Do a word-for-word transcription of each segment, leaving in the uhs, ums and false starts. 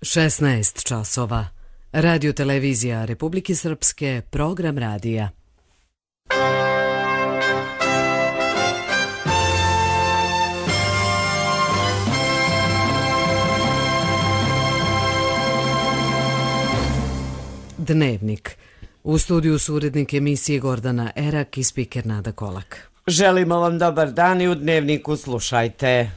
šesnaest časova. Radio televizija Republike Srpske, program radija. Dnevnik. U studiju su urednik emisije Gordana Erak i spiker Nada Kolak. Želimo vam dobar dan i u Dnevniku slušajte.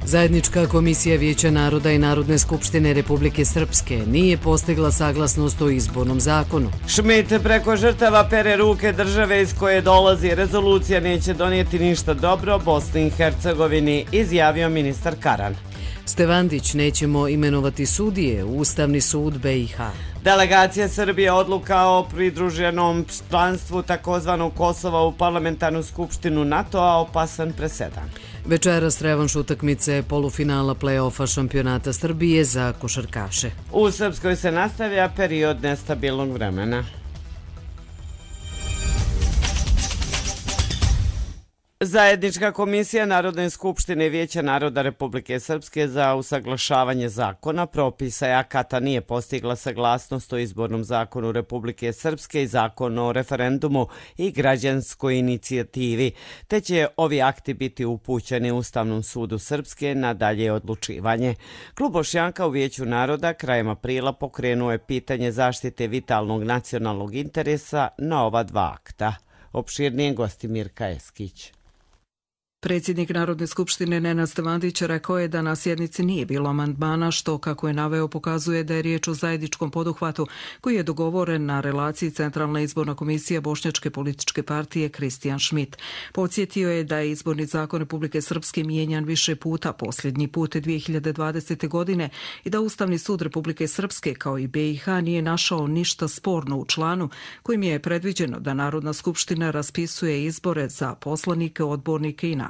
Zajednička komisija Vijeća naroda i Narodne skupštine Republike Srpske nije postigla saglasnost o izbornom zakonu. Šmit preko žrtava pere ruke države iz koje dolazi. Rezolucija neće donijeti ništa dobro Bosni i Hercegovini, izjavio ministar Karan. Stevandić nećemo imenovati sudije u Ustavni sud B i H. Delegacija Srbije odluka o pridruženom članstvu takozvanog Kosova u parlamentarnu skupštinu NATO-a opasan presedan. Večeras revanš utakmice polufinala play-offa šampionata Srbije za košarkaše. U Srpskoj se nastavlja period nestabilnog vremena. Zajednička komisija Narodne skupštine Vijeća naroda Republike Srpske za usaglašavanje zakona, propisa i akata nije postigla saglasnost o izbornom zakonu Republike Srpske i zakonu o referendumu i građanskoj inicijativi, te će ovi akti biti upućeni Ustavnom sudu Srpske na dalje odlučivanje. Klub Bošnjaka u Vijeću naroda krajem aprila pokrenuo je pitanje zaštite vitalnog nacionalnog interesa na ova dva akta. Opširnije gosti Mirka Eskić. Predsjednik Narodne skupštine Nenad Stevandić rekao je da na sjednici nije bilo amandmana, što, kako je naveo, pokazuje da je riječ o zajedničkom poduhvatu koji je dogovoren na relaciji Centralna izborna komisija Bošnjačke političke partije Kristijan Šmit. Podsjetio je da je izborni zakon Republike Srpske mijenjan više puta, posljednji put dvije hiljade dvadesete. godine, i da Ustavni sud Republike Srpske kao i B i H nije našao ništa sporno u članu kojim je predviđeno da Narodna skupština raspisuje izbore za poslanike, odbornike i načelnike.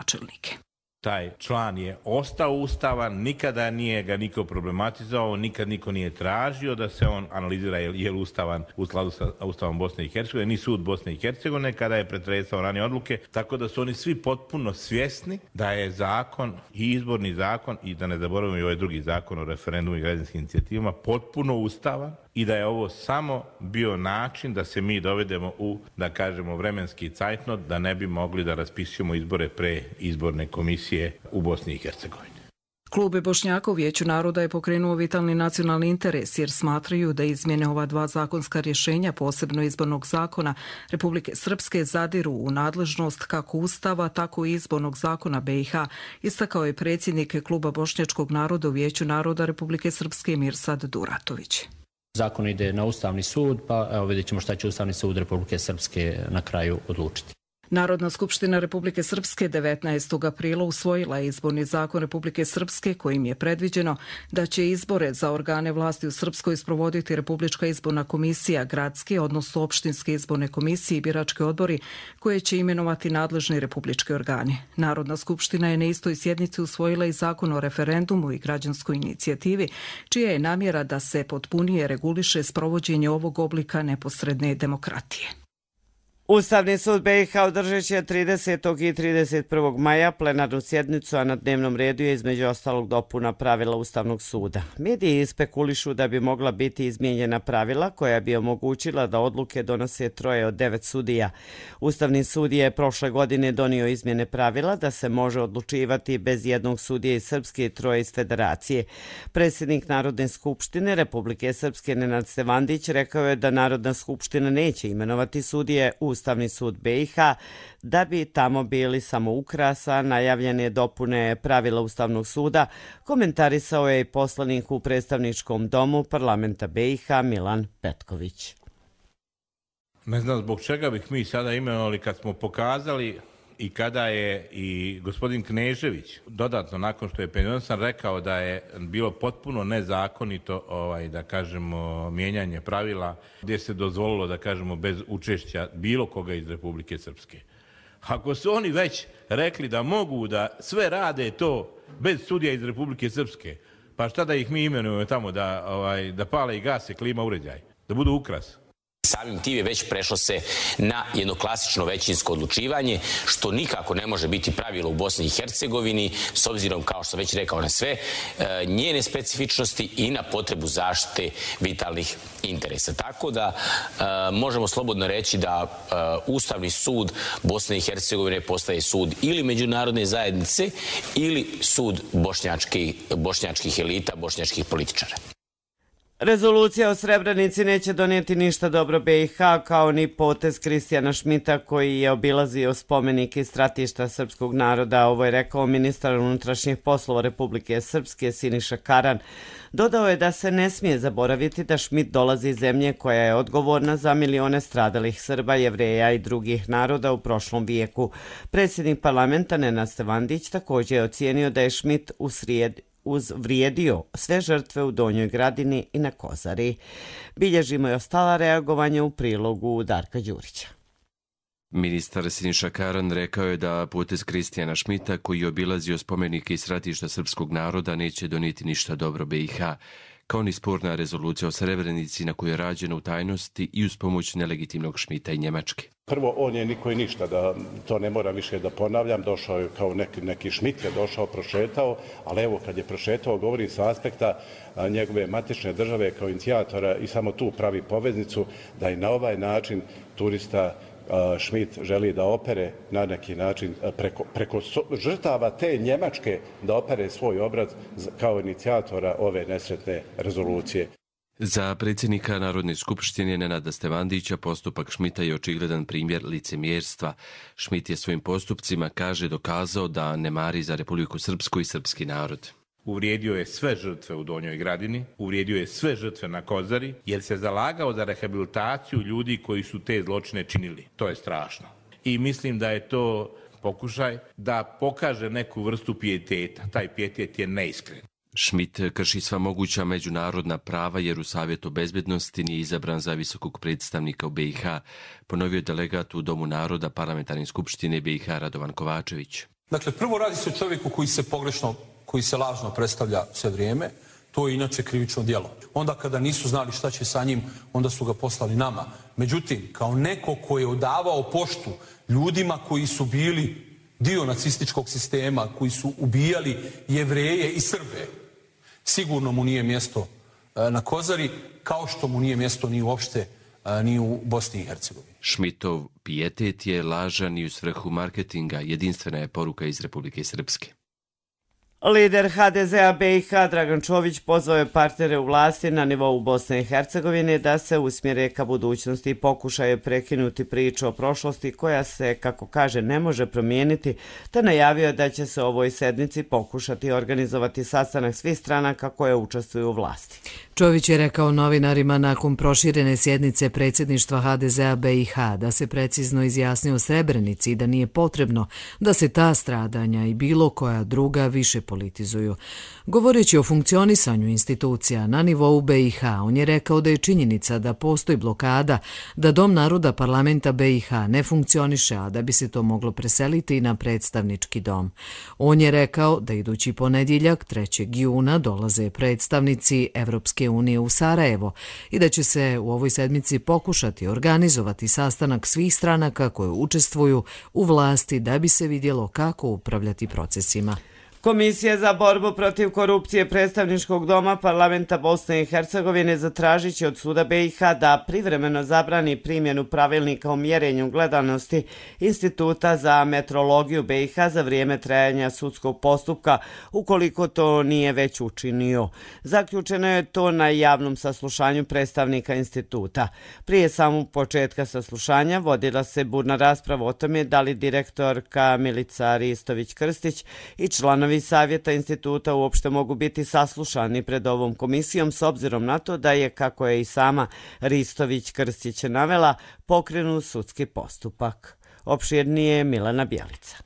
Taj član je ostao ustavan, nikada nije ga niko problematizao, nikad niko nije tražio da se on analizira je li ustavan u skladu sa Ustavom Bosne i Hercegovine, ni sud Bosne i Hercegovine kada je pretresao ranije odluke, tako da su oni svi potpuno svjesni da je zakon i izborni zakon, i da ne zaboravimo i ovaj drugi zakon o referendumu i građanskim inicijativama, potpuno ustavan i da je ovo samo bio način da se mi dovedemo u, da kažemo, vremenski cajtnot, da ne bi mogli da raspisujemo izbore pre izborne komisije u Bosni i Hercegovini. Klub Bošnjaka u Vijeću naroda je pokrenuo vitalni nacionalni interes jer smatraju da izmjene ova dva zakonska rješenja, posebno izbornog zakona Republike Srpske, zadiru u nadležnost kako Ustava, tako i izbornog zakona B i H, istakao je predsjednik Kluba Bošnjačkog naroda u Vijeću naroda Republike Srpske Mirsad Duratović. Zakon ide na Ustavni sud, pa evo vidjet ćemo šta će Ustavni sud Republike Srpske na kraju odlučiti. Narodna skupština Republike Srpske devetnaestog aprila usvojila je izborni zakon Republike Srpske kojim je predviđeno da će izbore za organe vlasti u Srpskoj sprovoditi Republička izborna komisija, gradske, odnosno opštinske izborne komisije i birački odbori koje će imenovati nadležni republički organi. Narodna skupština je na istoj sjednici usvojila i zakon o referendumu i građanskoj inicijativi, čija je namjera da se potpunije reguliše sprovođenje ovog oblika neposredne demokratije. Ustavni sud B i H održat će tridesetog i trideset prvog maja plenarnu sjednicu, a na dnevnom redu je između ostalog dopuna pravila Ustavnog suda. Mediji spekulišu da bi mogla biti izmijenjena pravila koja bi omogućila da odluke donose troje od devet sudija. Ustavni sud je prošle godine donio izmjene pravila da se može odlučivati bez jednog sudije iz Srpske i troje iz Federacije. Predsjednik Narodne skupštine Republike Srpske Nenad Stevandić rekao je da Narodna skupština neće imenovati sudije u Ustavni sud B i H, da bi tamo bili samo ukrasa najavljene dopune pravila Ustavnog suda, komentarisao je i poslanik u predstavničkom domu parlamenta B i H Milan Petković. Ne znam zbog čega bih mi sada imenovali kad smo pokazali i kada je i gospodin Knežević dodatno nakon što je penzionisan rekao da je bilo potpuno nezakonito ovaj, da kažemo mijenjanje pravila gdje se dozvolilo da kažemo bez učešća bilo koga iz Republike Srpske. Ako su oni već rekli da mogu da sve rade to bez sudija iz Republike Srpske, pa šta da ih mi imenujemo tamo da, ovaj, da pale i gase klima uređaj, da budu ukras? samim tim je već prešlo se na jedno klasično većinsko odlučivanje, što nikako ne može biti pravilo u Bosni i Hercegovini, s obzirom, kao što sam već rekao, na sve njene specifičnosti i na potrebu zaštite vitalnih interesa. Tako da možemo slobodno reći da Ustavni sud Bosne i Hercegovine postaje sud ili međunarodne zajednice ili sud bošnjačkih, bošnjačkih elita, bošnjačkih političara. Rezolucija o Srebrenici neće donijeti ništa dobro B i H, kao ni potez Kristijana Šmita koji je obilazio spomenik i stratišta srpskog naroda. Ovo je rekao ministar unutrašnjih poslova Republike Srpske Siniša Karan. Dodao je da se ne smije zaboraviti da Šmit dolazi iz zemlje koja je odgovorna za milione stradalih Srba, Jevreja i drugih naroda u prošlom vijeku. Predsjednik parlamenta Nenad Stevandić također je ocijenio da je Šmit u srijedi uzvrijedio sve žrtve u Donjoj Gradini i na Kozari. Bilježimo i ostala reagovanja u prilogu Darka Đurića. Ministar Siniša Karan rekao je da potez Kristijana Šmita, koji je obilazio spomenike i stratišta srpskog naroda, neće donijeti ništa dobro B i H, kao ni sporna rezolucija o Srebrenici na kojoj je rađena u tajnosti i uz pomoć nelegitimnog Šmita i Njemačke. Prvo, on je niko i ništa, da to ne moram više da ponavljam, došao je kao neki, neki Šmit je došao, prošetao, ali evo kad je prošetao, govorim sa aspekta a, njegove matične države kao inicijatora i samo tu pravi poveznicu da i na ovaj način turista Šmit želi da opere na neki način preko, preko žrtava te Njemačke da opere svoj obraz kao inicijatora ove nesretne rezolucije. Za predsjednika Narodne skupštine Nenada Stevandića postupak Šmita je očigledan primjer licemjerstva. Šmit je svojim postupcima, kaže, dokazao da ne mari za Republiku Srpsku i srpski narod. Uvrijedio je sve žrtve u Donjoj Gradini, uvrijedio je sve žrtve na Kozari, jer se zalagao za rehabilitaciju ljudi koji su te zločine činili. To je strašno. I mislim da je to pokušaj da pokaže neku vrstu pijeteta. Taj pijetet je neiskren. Šmit krši sva moguća međunarodna prava jer u Savjetu bezbednosti nije izabran za visokog predstavnika u B i H, ponovio delegat u Domu naroda Parlamentarne skupštine B i H Radovan Kovačević. Dakle, prvo radi se o čovjeku koji se pogrešno, koji se lažno predstavlja sve vrijeme, to je inače krivično djelo. Onda kada nisu znali šta će sa njim, onda su ga poslali nama. Međutim, kao neko ko je odavao poštu ljudima koji su bili dio nacističkog sistema, koji su ubijali Jevreje i Srbe, sigurno mu nije mjesto na Kozari, kao što mu nije mjesto ni uopšte ni u Bosni i Hercegovini. Šmitov pijetet je lažan i u svrhu marketinga, jedinstvena je poruka iz Republike Srpske. Lider H D Z-a B i H Dragan Čović pozvao je partnere u vlasti na nivou Bosne i Hercegovine da se usmjere ka budućnosti i pokušaju prekinuti priču o prošlosti koja se, kako kaže, ne može promijeniti, te najavio da će se ovoj sednici pokušati organizovati sastanak svih stranaka koje učestvuju u vlasti. Čović je rekao novinarima nakon proširene sjednice predsjedništva H D Z-a B i H da se precizno izjasnio o Srebrenici i da nije potrebno da se ta stradanja i bilo koja druga više politizuju. Govoreći o funkcionisanju institucija na nivou B i H, on je rekao da je činjenica da postoji blokada, da Dom naroda parlamenta B i H ne funkcioniše, a da bi se to moglo preseliti na predstavnički dom. On je rekao da idući ponedjeljak, trećeg juna, dolaze predstavnici Evropske unije u Sarajevo i da će se u ovoj sedmici pokušati organizovati sastanak svih stranaka koje učestvuju u vlasti da bi se vidjelo kako upravljati procesima. Komisija za borbu protiv korupcije predstavničkog doma parlamenta Bosne i Hercegovine zatražit će od suda B i H da privremeno zabrani primjenu pravilnika o mjerenju gledanosti Instituta za metrologiju B i H za vrijeme trajanja sudskog postupka, ukoliko to nije već učinio. Zaključeno je to na javnom saslušanju predstavnika instituta. Prije samog početka saslušanja vodila se burna rasprava o tome da li direktorka Milica Ristović-Krstić i članovi savjeta instituta uopšte mogu biti saslušani pred ovom komisijom s obzirom na to da je, kako je i sama Ristović-Krstić navela, pokrenut sudski postupak. Opširnije Milana Bjelica.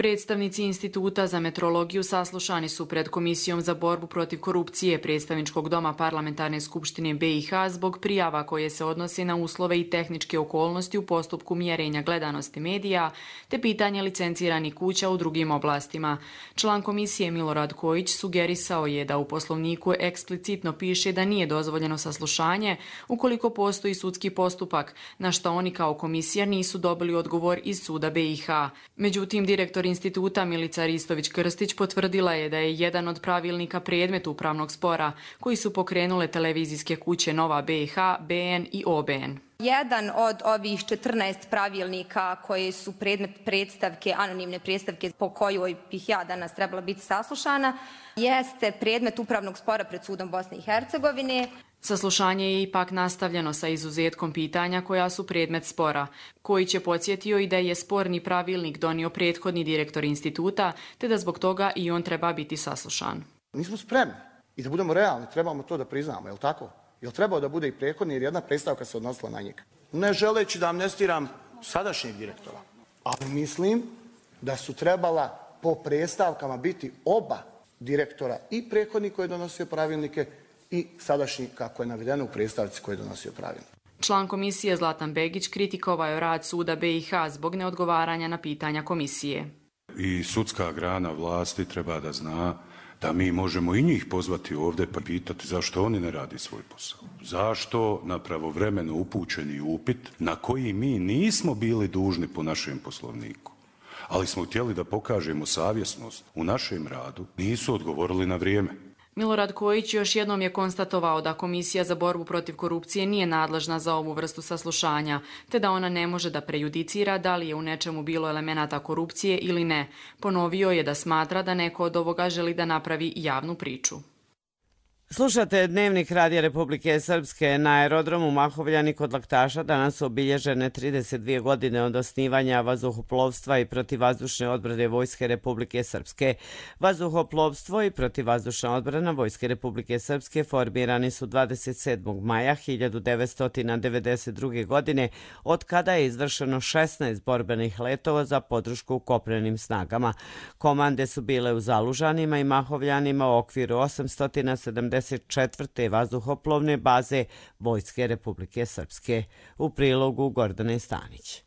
Predstavnici Instituta za metrologiju saslušani su pred Komisijom za borbu protiv korupcije Predstavničkog doma Parlamentarne skupštine B i H zbog prijava koje se odnose na uslove i tehničke okolnosti u postupku mjerenja gledanosti medija te pitanje licenciranih kuća u drugim oblastima. Član komisije Milorad Kojić sugerisao je da u poslovniku eksplicitno piše da nije dozvoljeno saslušanje ukoliko postoji sudski postupak, na što oni kao komisija nisu dobili odgovor iz suda B i H. Međutim, direktor instituta Milica Ristović-Krstić potvrdila je da je jedan od pravilnika predmet upravnog spora koji su pokrenule televizijske kuće Nova B i H, B N i O B N. Jedan od ovih četrnaest pravilnika koji su predmet predstavke, anonimne predstavke po kojoj bih ja danas trebala biti saslušana, jeste predmet upravnog spora pred sudom Bosne i Hercegovine. Saslušanje je ipak nastavljeno sa izuzetkom pitanja koja su predmet spora, koji će podsjetio i da je sporni pravilnik donio prethodni direktor instituta, te da zbog toga i on treba biti saslušan. Nismo spremni i da budemo realni, trebamo to da priznamo, je li tako? Je li trebao da bude i prethodni jer jedna predstavka se odnosila na njega? Ne želeći da amnestiram sadašnjeg direktora, ali mislim da su trebala po predstavkama biti oba direktora, i prethodni koji je donosio pravilnike i sadašnji, kako je navedeno u predstavci, koji je donosio pravilnik. Član komisije Zlatan Begić kritikovao je rad suda B i H zbog neodgovaranja na pitanja komisije. I sudska grana vlasti treba da zna da mi možemo i njih pozvati ovdje pa pitati zašto oni ne radi svoj posao. Zašto na pravovremeno upućeni upit na koji mi nismo bili dužni po našem poslovniku, ali smo htjeli da pokažemo savjesnost u našem radu, nisu odgovorili na vrijeme. Milorad Kojić još jednom je konstatovao da Komisija za borbu protiv korupcije nije nadležna za ovu vrstu saslušanja, te da ona ne može da prejudicira da li je u nečemu bilo elemenata korupcije ili ne. Ponovio je da smatra da neko od ovoga želi da napravi javnu priču. Slušate Dnevnik Radija Republike Srpske. Na aerodromu Mahovljani kod Laktaša danas su obilježene trideset dvije godine od osnivanja vazduhoplovstva i protivvazdušne odbrane Vojske Republike Srpske. Vazduhoplovstvo i protivvazdušna odbrana Vojske Republike Srpske formirani su dvadeset sedmog maja hiljadu devetsto devedeset druge. godine, od kada je izvršeno šesnaest borbenih letova za podršku kopnenim snagama. Komande su bile u Zalužanima i Mahovljanima u okviru osamsto sedamdeset četvrte vazduhoplovne baze Vojske Republike Srpske. U prilogu Gordane Stanić.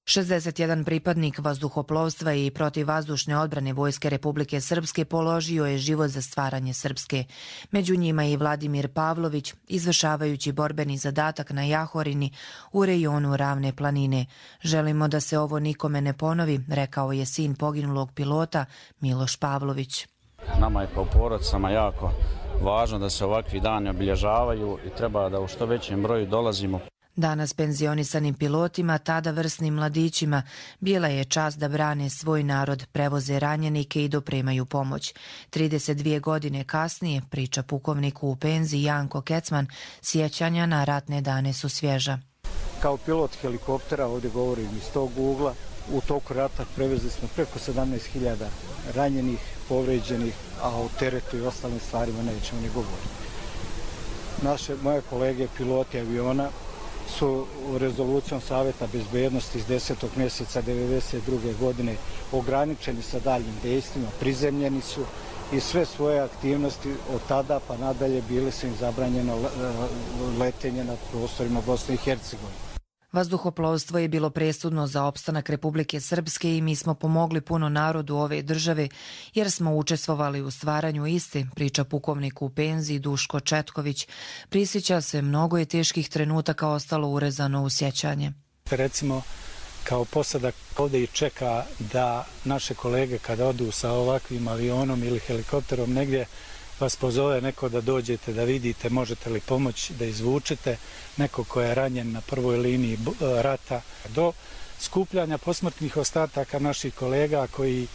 šezdeset jedan pripadnik vazduhoplovstva i protivvazdušne odbrane Vojske Republike Srpske položio je život za stvaranje Srpske. Među njima i Vladimir Pavlović, izvršavajući borbeni zadatak na Jahorini u rejonu Ravne planine. Želimo da se ovo nikome ne ponovi, rekao je sin poginulog pilota Miloš Pavlović. Nama je kao porodicama jako važno da se ovakvi dani obilježavaju i treba da u što većem broju dolazimo. Danas penzionisanim pilotima, tada vrsnim mladićima, bila je čast da brane svoj narod, prevoze ranjenike i dopremaju pomoć. trideset dvije godine kasnije, priča pukovniku u penziji Janko Kecman, sjećanja na ratne dane su svježa. Kao pilot helikoptera, ovdje govorim iz tog ugla, u toku rata prevezli smo preko sedamnaest hiljada ranjenih, povređenih, a o teretu i ostalim stvarima nećemo ni govoriti. Naše, moje kolege piloti aviona su rezolucijom Savjeta bezbednosti iz desetog mjeseca devedeset druge. godine ograničeni sa daljim dejstvima, prizemljeni su i sve svoje aktivnosti od tada pa nadalje bile su im zabranjeno letenje nad prostorima Bosne i Hercegovine. Vazduhoplovstvo je bilo presudno za opstanak Republike Srpske i mi smo pomogli puno narodu ove države jer smo učestvovali u stvaranju iste, priča pukovnik u penziji Duško Četković. Prisjeća se, mnogo je teških trenutaka ostalo urezano u sjećanje. Recimo, kao posadak ovdje i čeka da naše kolege kada odu sa ovakvim avionom ili helikopterom negdje vas pozove neko da dođete, da vidite možete li pomoći da izvučete neko ko je ranjen na prvoj liniji rata, do skupljanja posmrtnih ostataka naših kolega koji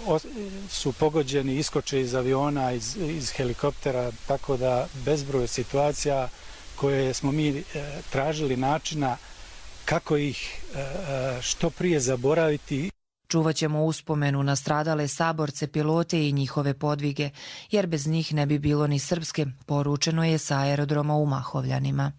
uh, su pogođeni, iskoče iz aviona, iz, iz helikoptera, tako da bezbroj situacija koje smo mi uh, tražili načina kako ih uh, što prije zaboraviti. Čuvat ćemo uspomenu na stradale saborce, pilote i njihove podvige, jer bez njih ne bi bilo ni Srpske, poručeno je sa aerodroma u Mahovljanima.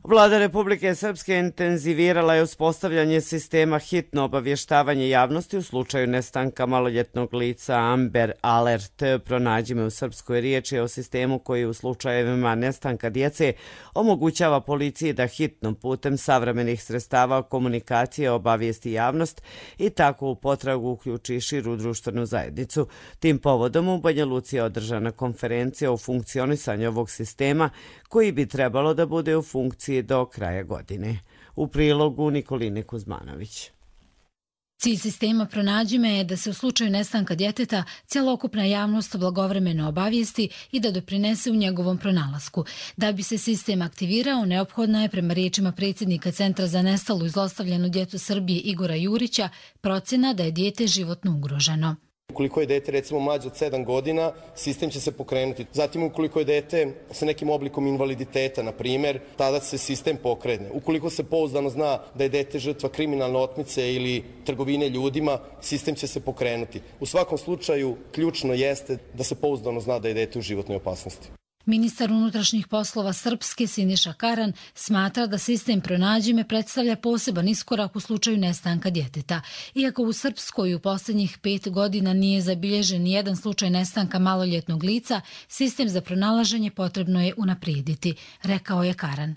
Vlada Republike Srpske intenzivirala je uspostavljanje sistema hitno obavještavanje javnosti u slučaju nestanka maloljetnog lica Amber Alert. Pronađi me u srpskoj riječi o sistemu koji u slučajevima nestanka djece omogućava policiji da hitnom putem savremenih sredstava komunikacije obavijesti javnost i tako u potragu uključi širu društvenu zajednicu. Tim povodom u Banja Luci je održana konferencija o funkcionisanju ovog sistema koji bi trebalo da bude u funkciji do kraja godine. U prilogu Nikoline Kuzmanović. Cilj sistema Pronađi me je da se u slučaju nestanka djeteta cjelokupna javnost blagovremeno obavijesti i da doprinese u njegovom pronalasku. Da bi se sistem aktivirao, neophodna je, prema riječima predsjednika Centra za nestalu i zlostavljanu djecu Srbije Igora Jurića, procjena da je dijete životno ugroženo. Ukoliko je dete recimo mlađe od sedam godina, sistem će se pokrenuti. Zatim ukoliko je dete sa nekim oblikom invaliditeta, na primjer, tada se sistem pokrene. Ukoliko se pouzdano zna da je dete žrtva kriminalne otmice ili trgovine ljudima, sistem će se pokrenuti. U svakom slučaju, ključno jeste da se pouzdano zna da je dete u životnoj opasnosti. Ministar unutrašnjih poslova Srpske Siniša Karan smatra da sistem Pronađi me predstavlja poseban iskorak u slučaju nestanka djeteta. Iako u Srpskoj u posljednjih pet godina nije zabilježen nijedan slučaj nestanka maloljetnog lica, sistem za pronalaženje potrebno je unaprijediti, rekao je Karan.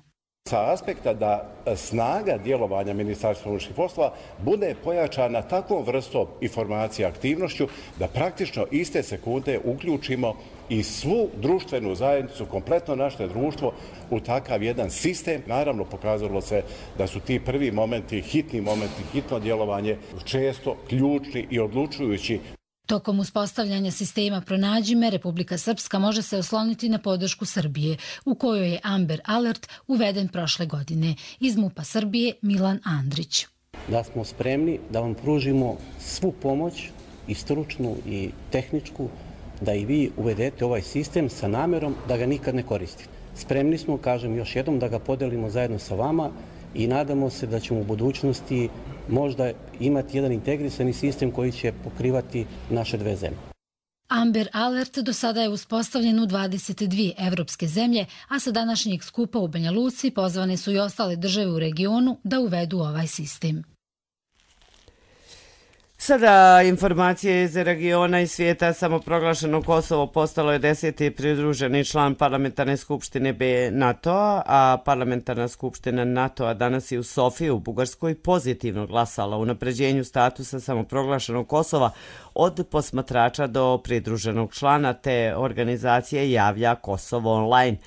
Sa aspekta da snaga djelovanja Ministarstva unutrašnjih poslova bude pojačana takvom vrstom informacija i aktivnošću da praktično iste sekunde uključimo i svu društvenu zajednicu, kompletno naše društvo u takav jedan sistem. Naravno, pokazalo se da su ti prvi momenti, hitni momenti, hitno djelovanje često ključni i odlučujući. Tokom uspostavljanja sistema Pronađi me, Republika Srpska može se osloniti na podršku Srbije, u kojoj je Amber Alert uveden prošle godine. Iz MUP-a Srbije Milan Andrić. Da smo spremni da vam pružimo svu pomoć, i stručnu i tehničku, da i vi uvedete ovaj sistem sa namjerom da ga nikad ne koristite. Spremni smo, kažem još jednom, da ga podelimo zajedno sa vama i nadamo se da ćemo u budućnosti možda imati jedan integrisani sistem koji će pokrivati naše dve zemlje. Amber Alert do sada je uspostavljen u dvadeset dvije evropske zemlje, a sa današnjeg skupa u Banja Luci pozvane su i ostale države u regionu da uvedu ovaj sistem. Sada informacije iz regiona i svijeta. Samoproglašeno Kosovo postalo je deseti pridruženi član parlamentarne skupštine B NATO-a, a parlamentarna skupština NATO-a danas je u Sofiji u Bugarskoj pozitivno glasala o unapređenju statusa samoproglašenog Kosova od posmatrača do pridruženog člana, te organizacije javlja Kosovo online.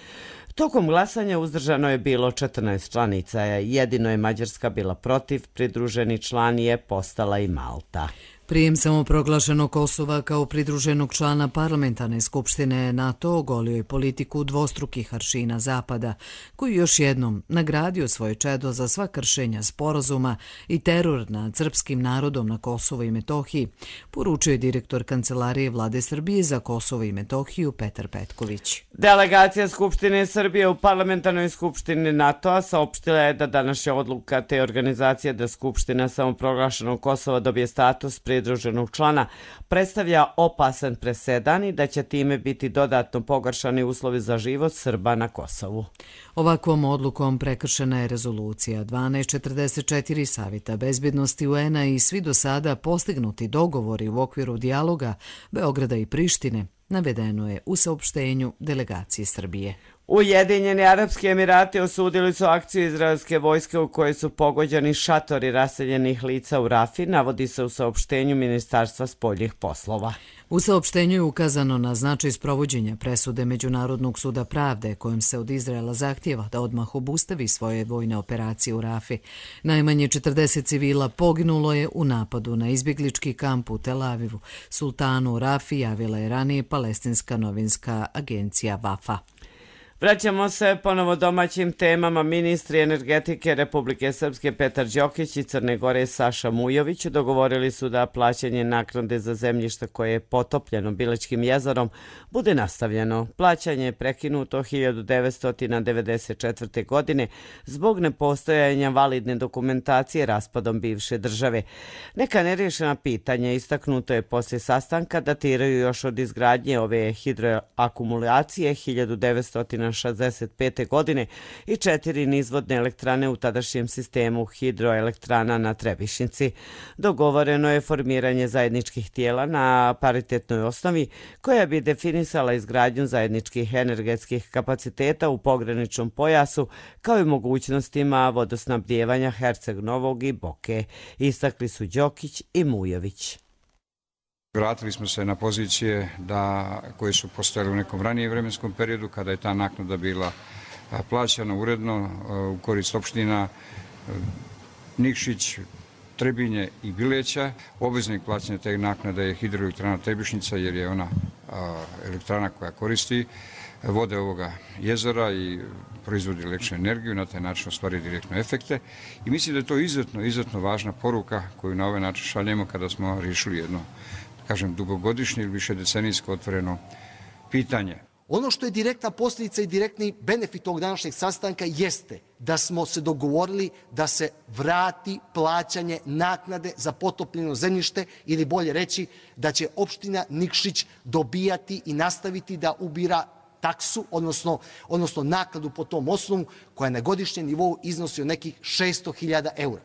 Tokom glasanja uzdržano je bilo četrnaest članica, jedino je Mađarska bila protiv, pridruženi član je postala i Malta. Prijem samoproglašenog Kosova kao pridruženog člana parlamentarne skupštine NATO ogolio je politiku dvostrukih aršina Zapada, koji još jednom nagradio svoje čedo za sva kršenja sporazuma i teror nad srpskim narodom na Kosovo i Metohiji, poručuje direktor Kancelarije Vlade Srbije za Kosovo i Metohiju Petar Petković. Delegacija Skupštine Srbije u parlamentarnoj skupštini NATO-a saopštila je da današnja odluka te organizacije da Skupština samoproglašenog Kosova dobije status pridruženog člana predstavlja opasan presedan i da će time biti dodatno pogoršani uslovi za život Srba na Kosovu. Ovakvom odlukom prekršena je rezolucija dvanaest četrdeset četiri Savjeta bezbjednosti U N-a i svi do sada postignuti dogovori u okviru dijaloga Beograda i Prištine, navedeno je u saopštenju delegacije Srbije. Ujedinjeni Arapski Emirati osudili su akciju izraelske vojske u kojoj su pogođeni šatori raseljenih lica u Rafi, navodi se u saopštenju Ministarstva spoljnih poslova. U saopštenju je ukazano na značaj sprovođenja presude Međunarodnog suda pravde kojom se od Izraela zahtjeva da odmah obustavi svoje vojne operacije u Rafi. Najmanje četrdeset civila poginulo je u napadu na izbjeglički kamp u Tel Avivu. Sultanu u Rafi javila je ranije palestinska novinska agencija Vafa. Vraćamo se ponovo domaćim temama. Ministri energetike Republike Srpske Petar Đokić i Crne Gore Saša Mujović dogovorili su da plaćanje naknade za zemljište koje je potopljeno Bilećkim jezerom bude nastavljeno. Plaćanje je prekinuto hiljadu devetsto devedeset četvrte. godine zbog nepostojanja validne dokumentacije raspadom bivše države. Neka neriješena pitanja istaknuto je poslije sastanka datiraju još od izgradnje ove hidroakumulacije hiljadu devetsto šezdeset pete. godine i četiri nizvodne elektrane u tadašnjem sistemu hidroelektrana na Trebišnjici. Dogovoreno je formiranje zajedničkih tijela na paritetnoj osnovi koja bi definisala izgradnju zajedničkih energetskih kapaciteta u pograničnom pojasu kao i mogućnostima vodosnabdijevanja Herceg Novog i Boke, istakli su Đokić i Mujović. Vratili smo se na pozicije da, koje su postojale u nekom ranijem vremenskom periodu kada je ta naknada bila plaćana uredno u korist opština Nikšić, Trebinje i Bileća. Obveznik plaćanja te naknade je hidroelektrana Trebišnjica jer je ona elektrana koja koristi vode ovoga jezera i proizvodi električnu energiju, na taj način ostvari direktno efekte. I mislim da je to izuzetno, izuzetno važna poruka koju na ovaj način šaljemo kada smo riješili jedno, kažem, dugogodišnje ili više decenijsko otvoreno pitanje. Ono što je direktna posljedica i direktni benefit ovog današnjeg sastanka jeste da smo se dogovorili da se vrati plaćanje naknade za potopljeno zemljište ili bolje reći da će opština Nikšić dobijati i nastaviti da ubira taksu, odnosno, odnosno naknadu po tom osnovu koja na godišnjem nivou iznosi od nekih šesto hiljada eura.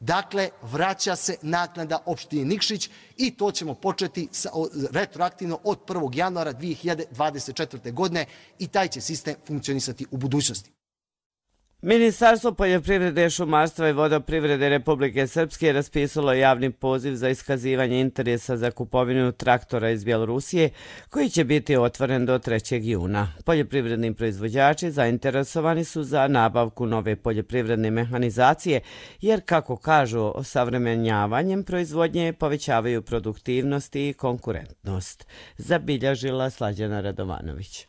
Dakle, vraća se naknada opštini Nikšić i to ćemo početi sa, retroaktivno od prvog januara dvije hiljade dvadeset četvrte. godine i taj će sistem funkcionisati u budućnosti. Ministarstvo poljoprivrede, šumarstva i vodoprivrede Republike Srpske raspisalo javni poziv za iskazivanje interesa za kupovinu traktora iz Bjelorusije koji će biti otvoren do trećeg juna. Poljoprivredni proizvođači zainteresovani su za nabavku nove poljoprivredne mehanizacije jer, kako kažu, osavremenjavanjem proizvodnje povećavaju produktivnost i konkurentnost. Zabilježila Slađana Radovanović.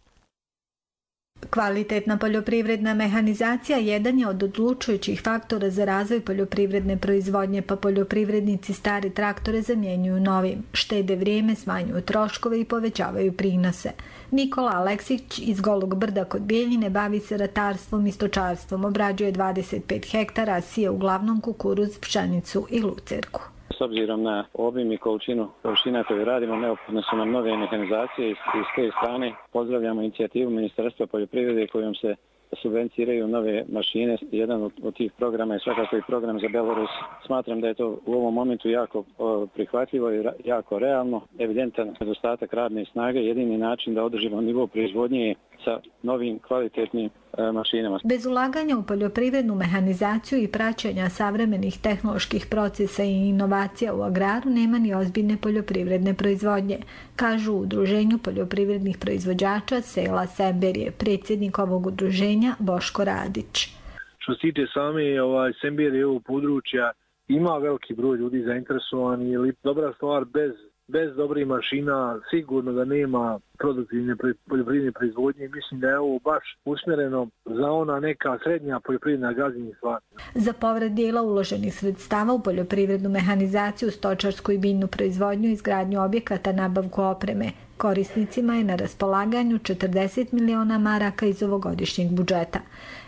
Kvalitetna poljoprivredna mehanizacija jedan je od odlučujućih faktora za razvoj poljoprivredne proizvodnje, pa poljoprivrednici stare traktore zamjenjuju novim, štede vrijeme, smanjuju troškove i povećavaju prinose. Nikola Aleksić iz Golog Brda kod Bijeljine bavi se ratarstvom i stočarstvom, obrađuje dvadeset pet hektara, a sije uglavnom kukuruz, pšenicu i lucerku. S obzirom na obim i količinu površina koju radimo, neophodne su nam nove mehanizacije i s te strane pozdravljamo inicijativu Ministarstva poljoprivrede kojom se subvenciraju nove mašine. Jedan od, od tih programa je svakako i program za Belorus. Smatram da je to u ovom momentu jako o, prihvatljivo i ra, jako realno. Evidentan nedostatak radne snage, jedini način da održimo nivo proizvodnje sa novim kvalitetnim e, mašinama. Bez ulaganja u poljoprivrednu mehanizaciju i praćenja savremenih tehnoloških procesa i inovacija u agraru nema ni ozbiljne poljoprivredne proizvodnje, kažu u Udruženju poljoprivrednih proizvođača sela Semberije, predsjednik ovog udruženja Boško Radić. Što se tiče same ovaj, Semberije ovog područja, ima veliki broj ljudi zainteresovani, ili dobra stvar bez Bez dobrih mašina sigurno da nema produktivne poljoprivredne proizvodnje. Mislim da je ovo baš usmjereno za ona neka srednja poljoprivredna gazdinstva. Za povrat dijela uloženih sredstava u poljoprivrednu mehanizaciju, stočarsku i biljnu proizvodnju, izgradnju objekata, nabavku opreme, korisnicima je na raspolaganju četrdeset miliona maraka iz ovogodišnjeg budžeta.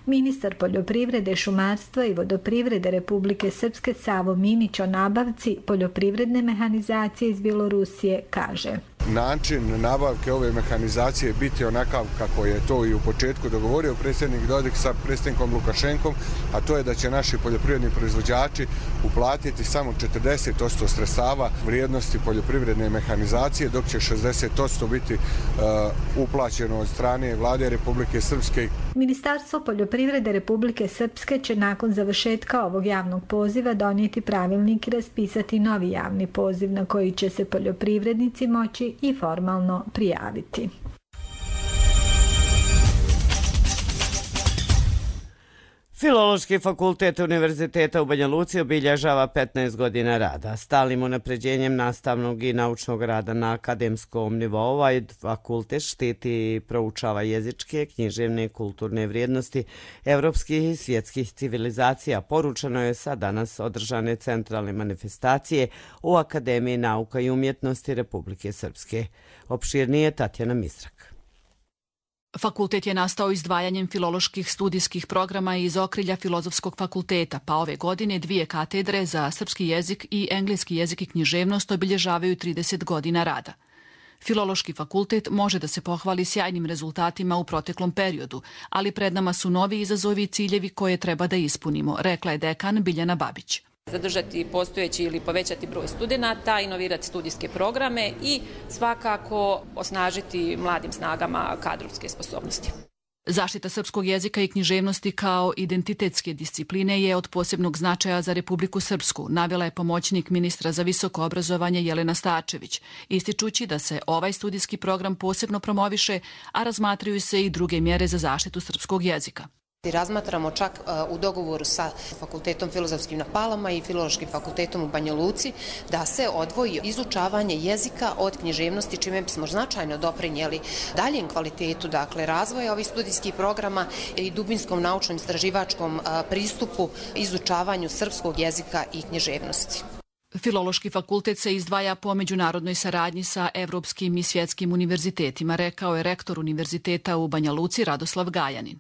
Ministar poljoprivrede, šumarstva i vodoprivrede Republike Srpske Savo Minić o nabavci poljoprivredne mehanizacije iz Bjelorusije kaže: Način nabavke ove mehanizacije biti onakav kako je to i u početku dogovorio predsjednik Dodik sa predsjednikom Lukašenkom, a to je da će naši poljoprivredni proizvođači uplatiti samo četrdeset posto sredstava vrijednosti poljoprivredne mehanizacije, dok će šezdeset posto biti uh, uplaćeno od strane vlade Republike Srpske. Ministarstvo poljoprivrede Republike Srpske će nakon završetka ovog javnog poziva donijeti pravilnik i raspisati novi javni poziv na koji će se poljoprivrednici moći i formalno prijaviti. Filološki fakultet Univerziteta u Banja Luci obilježava petnaest godina rada. Stalnim unapređenjem nastavnog i naučnog rada na akademskom nivou, ovaj fakultet štiti i proučava jezičke, književne, kulturne vrijednosti evropskih i svjetskih civilizacija. Poručeno je sa danas održane centralne manifestacije u Akademiji nauka i umjetnosti Republike Srpske. Opširnije Tatjana Mistrak. Fakultet je nastao izdvajanjem filoloških studijskih programa iz okrilja Filozofskog fakulteta, pa ove godine dvije katedre za srpski jezik i engleski jezik i književnost obilježavaju trideset godina rada. Filološki fakultet može da se pohvali sjajnim rezultatima u proteklom periodu, ali pred nama su novi izazovi i ciljevi koje treba da ispunimo, rekla je dekan Biljana Babić. Zadržati postojeći ili povećati broj studenata, inovirati studijske programe i svakako osnažiti mladim snagama kadrovske sposobnosti. Zaštita srpskog jezika i književnosti kao identitetske discipline je od posebnog značaja za Republiku Srpsku, navela je pomoćnik ministra za visoko obrazovanje Jelena Stačević, ističući da se ovaj studijski program posebno promoviše, a razmatraju se i druge mjere za zaštitu srpskog jezika. Razmatramo čak u dogovoru sa Fakultetom filozofskim na Palama i Filološkim fakultetom u Banja Luci da se odvoji izučavanje jezika od književnosti, čime bismo značajno doprinijeli daljem kvalitetu, dakle, razvoja ovih studijskih programa i dubinskom naučnom istraživačkom pristupu izučavanju srpskog jezika i književnosti. Filološki fakultet se izdvaja po međunarodnoj saradnji sa evropskim i svjetskim univerzitetima, rekao je rektor univerziteta u Banja Luci Radoslav Gajanin.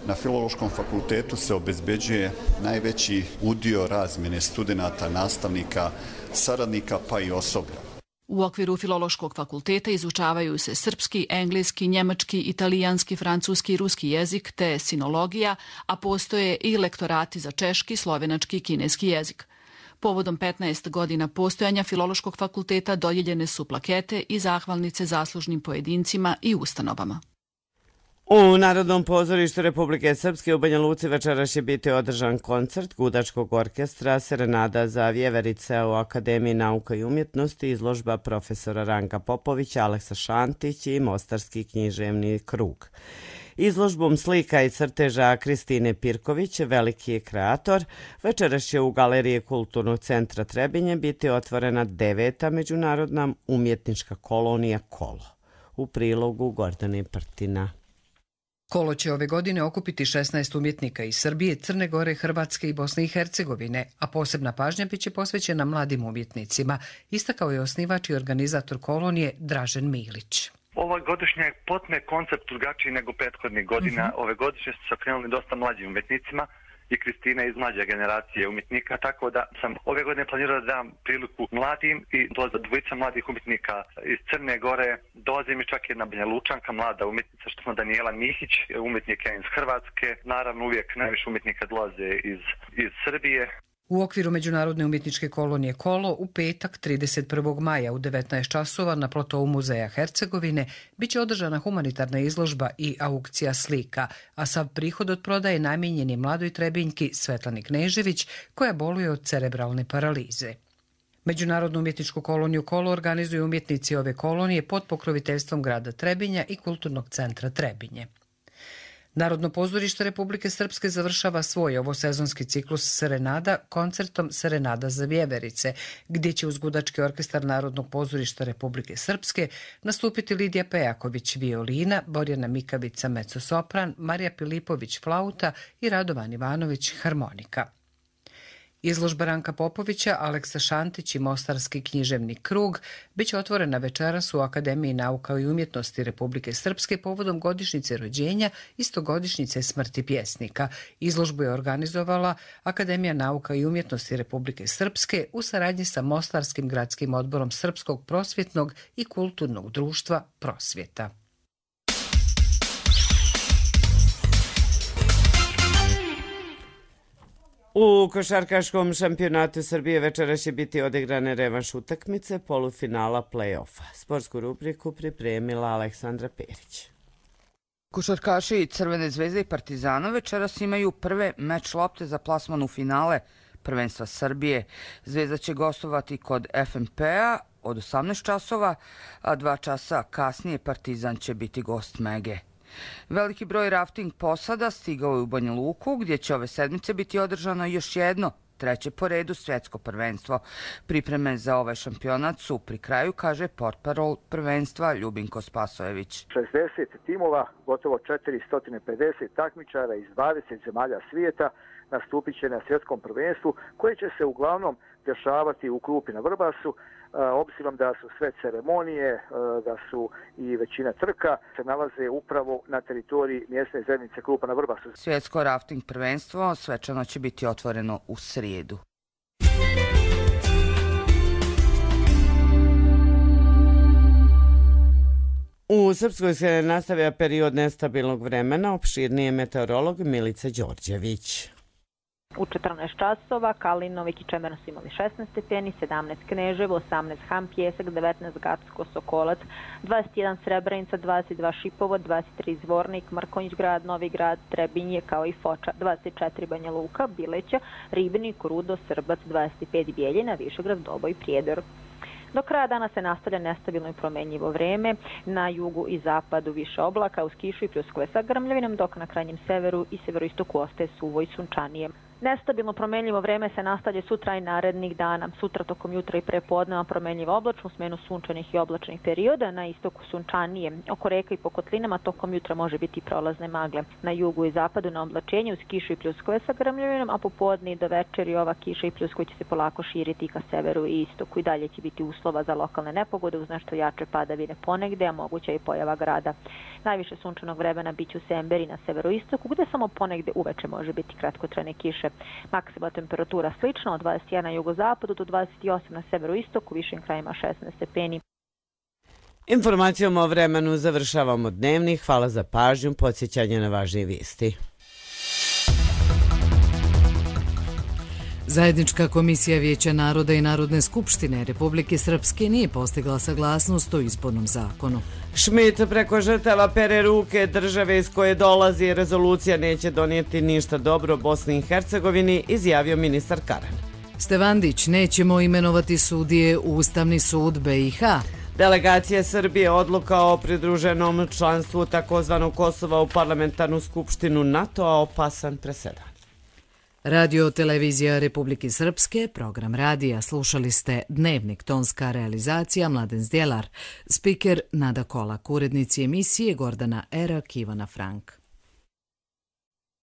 Na Filološkom fakultetu se obezbeđuje najveći udio razmjene studenata, nastavnika, saradnika pa i osoblja. U okviru Filološkog fakulteta izučavaju se srpski, engleski, njemački, italijanski, francuski i ruski jezik te sinologija, a postoje i lektorati za češki, slovenački i kineski jezik. Povodom petnaest godina postojanja Filološkog fakulteta dodijeljene su plakete i zahvalnice zaslužnim pojedincima i ustanovama. U Narodnom pozorištu Republike Srpske u Banja Luci večeras će biti održan koncert Gudačkog orkestra Serenada za vjeverice u Akademiji nauka i umjetnosti, izložba profesora Ranka Popovića, Aleksa Šantić i Mostarski književni krug. Izložbom slika i crteža Kristine Pirković, veliki je kreator, večeras će u Galeriji Kulturnog centra Trebinje biti otvorena deveta međunarodna umjetnička kolonija Kolo. U prilogu Gordane Prtina. Kolo će ove godine okupiti šesnaest umjetnika iz Srbije, Crne Gore, Hrvatske i Bosne i Hercegovine, a posebna pažnja biće posvećena mladim umjetnicima, istakao je osnivač i organizator kolonije Dražen Milić. Ovaj godišnji je potpuno koncept drugačiji nego prethodnih godina. Uh-huh. Ove godišnje su se okrenuli dosta mlađim umjetnicima i Kristina iz mlađe generacije umjetnika, tako da sam ove godine planirao da dam priliku mladim i dolaze dvojica mladih umjetnika iz Crne Gore, dolazi mi čak jedna Banja Lučanka, mlada umjetnica, što smo Danijela Mihić, umjetnika iz Hrvatske, naravno uvijek najviše umjetnika dolaze iz, iz Srbije. U okviru Međunarodne umjetničke kolonije Kolo u petak trideset prvog maja u devetnaest časova na platovu Muzeja Hercegovine biće održana humanitarna izložba i aukcija slika, a sav prihod od prodaje namijenjen je mladoj Trebinjki Svetlani Knežević koja boluje od cerebralne paralize. Međunarodnu umjetničku koloniju Kolo organizuju umjetnici ove kolonije pod pokroviteljstvom grada Trebinja i Kulturnog centra Trebinje. Narodno pozorište Republike Srpske završava svoj ovosezonski ciklus Serenada koncertom Serenada za vjeverice, gdje će uz Gudački orkestar Narodnog pozorišta Republike Srpske nastupiti Lidija Pejaković violina, Borjana Mikavica mezzosopran, Marija Pilipović flauta i Radovan Ivanović harmonika. Izložba Ranka Popovića, Aleksa Šantić i Mostarski književni krug biće otvorena večeras u Akademiji nauka i umjetnosti Republike Srpske povodom godišnjice rođenja i stogodišnjice smrti pjesnika. Izložbu je organizovala Akademija nauka i umjetnosti Republike Srpske u saradnji sa Mostarskim gradskim odborom Srpskog prosvjetnog i kulturnog društva Prosvjeta. U košarkaškom šampionatu Srbije večeras će biti odigrane revanš utakmice polufinala play-offa. Sportsku rubriku pripremila Aleksandra Perić. Košarkaši Crvene zvezde i Partizana večeras imaju prve meč lopte za plasman u finale prvenstva Srbije. Zvezda će gostovati kod F M P-a od osamnaest časova, a dva časa kasnije Partizan će biti gost Mege. Veliki broj rafting posada stigao je u Banja Luku, gdje će ove sedmice biti održano još jedno, treće po redu svjetsko prvenstvo. Pripreme za ovaj šampionat su pri kraju, kaže portparol prvenstva Ljubinko Spasojević. šezdeset timova, gotovo četiristo pedeset takmičara iz dvadeset zemalja svijeta nastupit će na svjetskom prvenstvu, koje će se uglavnom dešavati u Krupi na Vrbasu. Obzirom da su sve ceremonije, da su i većina trka se nalaze upravo na teritoriji mjesne zajednice Krupa na Vrbasu. Svjetsko rafting prvenstvo svečano će biti otvoreno u srijedu. U Srpskoj se nastavlja period nestabilnog vremena, opširnije meteorolog Milica Đorđević. U četrnaest časova Kalinovik i Čemer su imali šesnaest stepeni, sedamnaest Kneževo, osamnaest Ham Pjesak, devetnaest Gacko Sokolac, dvadeset jedan Srebrenica, dvadeset dva Šipovo, dvadeset tri Zvornik, Mrkonjić grad, Novi grad, Trebinje kao i Foča, dvadeset četiri Banja Luka, Bileća, Ribnik, Rudo, Srbac, dvadeset pet Bijeljina, Višegrad, Doboj, Prijedor. Do kraja dana se nastavlja nestabilno i promenljivo vreme, na jugu i zapadu više oblaka, uz kišu i pljuskove sa grmljavinom, dok na krajnjem severu i severoistoku ostaje suvo i sunčanije. Nestabilno promenljivo vreme se nastavlja sutra i narednih dana. Sutra tokom jutra i prepodneva promenljivo oblačno, smenu sunčanih i oblačnih perioda, na istoku sunčanije. Oko reka i po kotlinama tokom jutra može biti prolazne magle. Na jugu i zapadu na oblačenje uz kišu i pljuskove sa grmljavinom, a popodne i do večeri ova kiša i pljuskovi će se polako širiti ka severu i istoku. I dalje će biti uslova za lokalne nepogode uz nešto jače padavine ponegde, a moguća i pojava grada. Najviše sunčanog vremena biće u Semberi na severoistoku, gde samo ponegde uveče može biti kratkotrajne kiše. Maksimalna temperatura slična od dvadeset jedan na jugozapadu do dvadeset osam na severoistoku, višim krajima šesnaest stepeni. Informacijom o vremenu završavamo dnevni. Hvala za pažnju, podsjećanje na važnije vijesti. Zajednička komisija Vijeća naroda i Narodne skupštine Republike Srpske nije postigla saglasnost o izbornom zakonu. Šmit preko žrtava pere ruke, države iz koje dolazi rezolucija neće donijeti ništa dobro Bosni i Hercegovini, izjavio ministar Karan. Stevandić, nećemo imenovati sudije u Ustavni sud B i H. Delegacija Srbije odluka o pridruženom članstvu takozvanog Kosova u parlamentarnu skupštinu NATO-a opasan presedan. Radio televizija Republike Srpske, program radija, slušali ste Dnevnik, tonska realizacija Mladen Zdjelar, spiker Nada Kolak, urednici emisije Gordana Erak, Ivana Frank.